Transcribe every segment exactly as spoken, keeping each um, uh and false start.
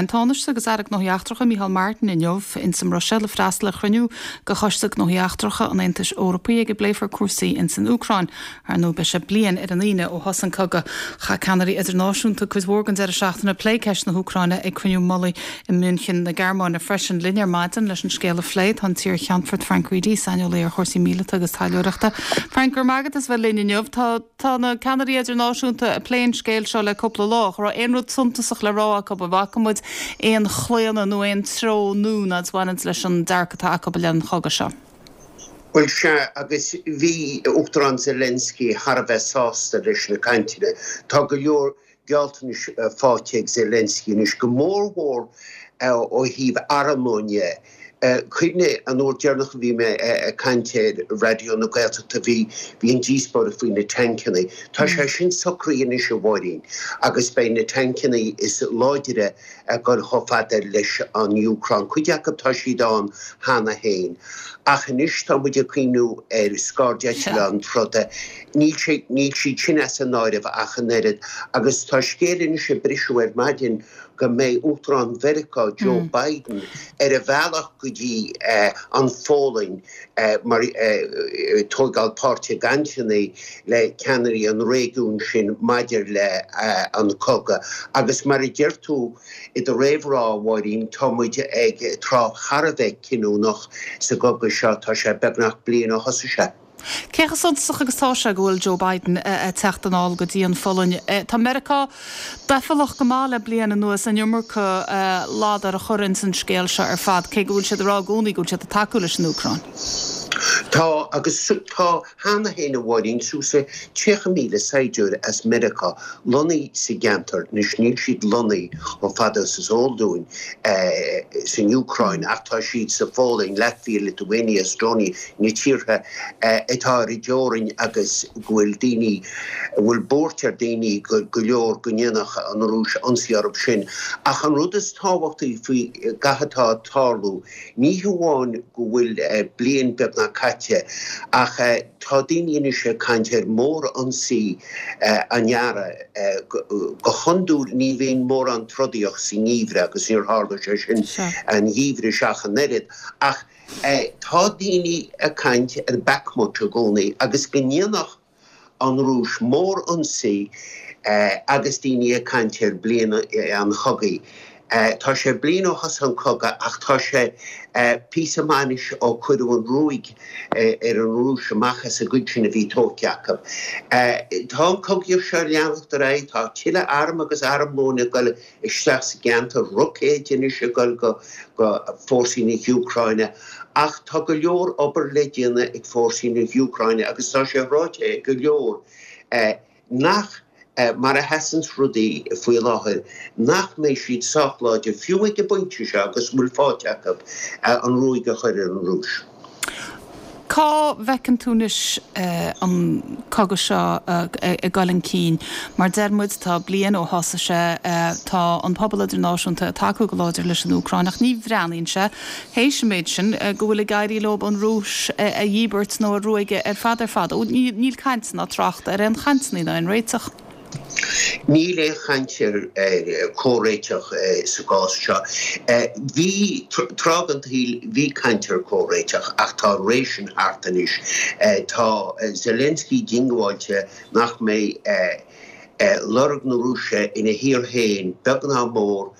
Beidh an Tánaiste agus Aire Gnóthaí Eachtracha Micheál Martin inniu ins an mBruiséil ag freastal ar chruinniú de Choiste Gnóthaí Eachtracha an Aontais Eorpaigh ag a bpléifear cúrsaí ins an Úcráin. Ar ndóigh beidh sé bliain ar an Aoine ó thosaigh an cogadh. Chaith ceannairí idirnáisiúnta cuid mhór den deireadh seachtaine ag plé ceist na hÚcráine ag cruinniú mullaigh i München na Gearmáine freisin linn ar maidin leis an scéal a phlé tá an t-iar-Cheannfort Frank Reidy, saineolaí ar chúrsaí míleata agus taidhleoireachta. Frank go raibh maith agat as bheith linn inniu tá tá na ceannairí idirnáisiúnta ag plé an scéil seo le cúpla lá, raibh aon rud suntasach le rá acu an bhfaca muid aon chlaonadh nó aon treo nua a bhaineann leis an dearcadh atá acu le an chogadh seo. Well sea agus bhí Uachtarán Zelensky thar a bheith sásta leis na cainteanna. Tá go leor gealltanais faighte ag Zelensky anois go mórmhór ó thaobh armlóin. Cuimhnigh an uair dheireanach a bhí mé ag caint ar Raidió na Gaeltachta bhí bhí an díospóireacht faoi na tancanna. Tá sé sin socraithe anois a Mháirín agus beidh na tancanna is láidre ag dul chomh fada leis an Úcráin. Cuid acu tá siad ann cheana féin. Ach anois tá muid ag cuimhniú ar scairdeitleáin troda. Níl sé níl siad sin as an áireamh ach an oiread agus tá scéal anois ag briseadh ar maidin go mbeidh Uachtarán Mheiriceá Joe mm. Biden ar a bhealach go dtí uh, an Pholainn uh, mar uh, tógáil páirt i gcainteanna le ceannairí an réigiún sin maidir le uh, an cogadh. Agus mar a deir tú i do réamhrá a Mháirín tá muid ag tráth thar a bheith cinniúnach sa gcogadh seo tá sé beagnach bliain ó thosaigh sé. Cé chomh suntasach agus tá sé go bhfuil Joe Biden ag teacht anall go dtí an Pholainn. Tá Meiriceá deifreach go maith le bliain anuas an iomarca ladar a chur ins an scéal seo ar fad, cé go bhfuil siad ag rá i gcónaí go bhfuil siad ag tacú leis an Úcráin. Tá agus tá cheana féin a Mháirín suas le tríocha míle saighdiúir as Meiriceá lonnaithe sa gceantar anois níl siad lonnaithe chomh fada is is eol dúinn san Úcráin ach tá siad sa Pholainn, Latvia, Lithuania, Estonia, na tíortha atá ar an dteorainn agus go bhfuil daoine bhfuil buairt ar daoine go go leor go ndéanfadh an Rúis ionsaí orthu sin. Ach an rud is tábhachtaí faoi gach atá ag tarlú, ní hamháin go bhfuil bliain beagnach caite ach tá daoine anois ag caint ar mhórionsaí an earraigh go hiondúil ní bhíonn mórán trodaíocht sa ngeimhreadh agus níor tharla sé sin an geimhreadh seo ach an oiread ach tá daoine ag caint ar Bakhmut i gcónaí agus go ndéanfadh an Rúis mórionsaí agus daoine ag caint ar bliain an chogaidh. Tá sé bliain ó thosaigh an cogadh ach tá sé píosa maith anois ó cuireadh an ruaig ar an Rúis amach as an gcuid sin a bhí tógtha acu. Tá an cogaíocht seo ag leanacht ar aghaidh, tá tuilleadh arm agus armlóin ag dul isteach sa gceantar roicéid anois ag dul go go fórsaí na hÚcráine ach tá go leor obair le déanamh ag fórsaí na hÚcráine agus tá sé ráite ag go leor nach mar a sheasann rudaí faoi láthair nach mbeidh siad sách láidir fiú ag an bpointe seo agus bhfuil faighte acu an ruaig a chur ar an Rúis. Cá bhfeiceann tú anois an cogadh seo ag dul chun cinn? Mar deir muid tá bliain ó thosaigh sé tá an pobal idirnáisiúnta ag tacú go láidir leis an Úcráin ach ní bhreathnaíonn sé théis an méid sin go bhfuil ag éirí leo an Rúis a dhíbirt nó a ruaigeadh ar fad ar fad. Níl caint ná trácht ar aon chainteanna ná aon réiteach. Níl aon chaint ar comhréiteach sa gcás seo. Bhí tráth den tsaol bhí caint ar comhréiteach ach tá an ré sin thart anois. Tá Zelensky diongbháilte nach mbeidh lorg na Rúise ina thír féin beag ná mór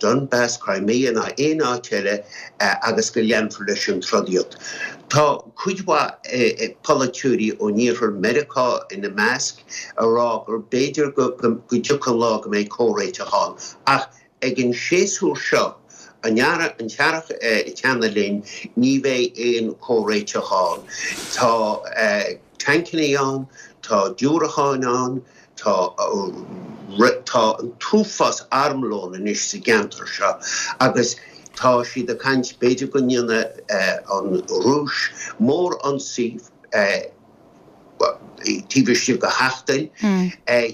Donbass, Crimea ná aon áit eile agus go leanfar leis an trodaíocht. Tá cuid mhaith polaiteoirí ón iarthar Meiriceá ina measc ag rá gur b'fhéidir go dtiocfaidh an lá go mbeidh comhréiteach ann ach ag an séasúr seo an an t-earrach ag teannadh linn ní bheidh aon comhréiteach ann. Tá tancanna ann, tá diúracáin ann, tá tá an t-uafás armlón anois sa gceantar seo agus tá siad ag caint b'fhéidir go ndéanfaidh an Rúis mórionsaí taobh istigh de sheachtain.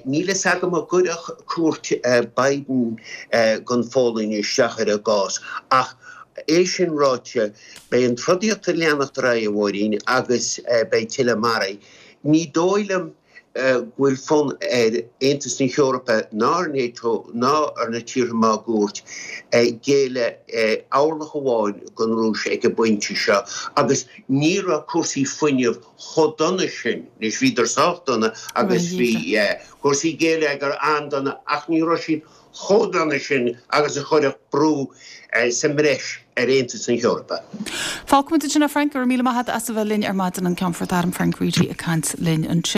Níl a fhios agam an gcuirfeadh cuairt Biden don Pholainn isteach ar an gcás ach é sin ráite beidh an trodaíocht ag leanacht ar aghaidh a Mháirín agus beidh tuilleadh maraithe. Ní dóigh liom go bhfuil fonn ar Aontas na hEorpa ná ar NATO ná ar na tíortha máguaird géilleadh orlach amháin don Rúis ag an bpointe seo agus ní raibh cúrsaí fuinnimh chomh dona sin, anois bhíodar sách dona agus bhí cúrsaí geilleagair an-dona ach ní raibh siad chomh dona sin agus a chuirfeadh brú sa mbreis ar Aontas na hEorpa. Fágfaimid ansin é Frank, go raibh míle maith agat as a bheith linn ar maidin an Ceannfort Airm Frank Reidy ag caint linn ansin.